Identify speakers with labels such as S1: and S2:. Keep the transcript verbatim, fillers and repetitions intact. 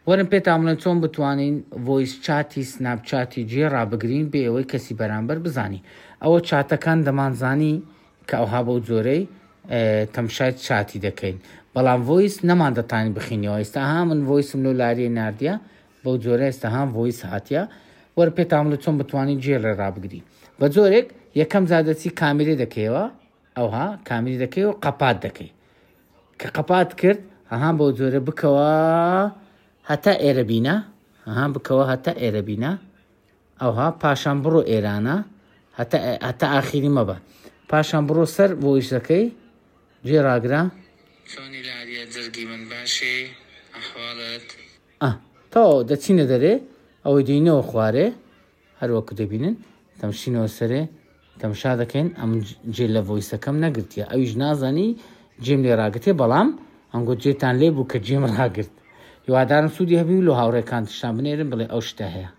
S1: وەرن پێتان بڵێن چۆن بتوانین voice chat ی سناپچاتی جێ ڕابگرین بێ ئەوەی کەسی بەرامبەر بزانی. ئەوە چاتەکان دەمانزانی کە ئەوها بەو جۆرەی تەمشای چاتی دەکەین، بەڵام voice نەمان دەتانی بخینەوە. ئێستا ها من voice م لەو لاریە ناردیە بەو جۆرە، ئێستا هام voice هاتیە. وەرە پێتان بڵێ چۆن بتوانین جێ ڕێ ڕابگری. بە جۆرێک یەکەم جار دەچی کامیرە دەکەیەوە، ئەوها کامیری دەکەی و قەپات دەکەی. کە قەپات کرد ئەها بەو جۆرە بکەوە هەتا ئێرە بینە، ئەها بکەوە هەتا ئێرە بینە، ئەوها پاشان بڕۆ ئێرانە هەتا هەتا ئاخیری مەبە، پاشان بڕۆ سەر voice ەکەی جێ ڕاگرە.
S2: چۆنی لاریە جەرگی من باشی ئەحواڵت؟
S1: ئە تەواو دەچینە دەرێ، ئەوەی دێینەوە خوارێ هەروەکو دەبینن تەمشینەوە سەرێ تەمشا دەکەین. ئەم جێ لە voice ەکەم نەگرتیە، ئەویش نازانی جێم لێ ڕاگرتێ، بەڵام ئەنگۆ جێتان لێ بوو کە جێم ڕاگرت. هیوادارم سوودی هەبی و لۆ هاوڕێکانتشتان بنێرن بڵێ ئەو شتە هەیە.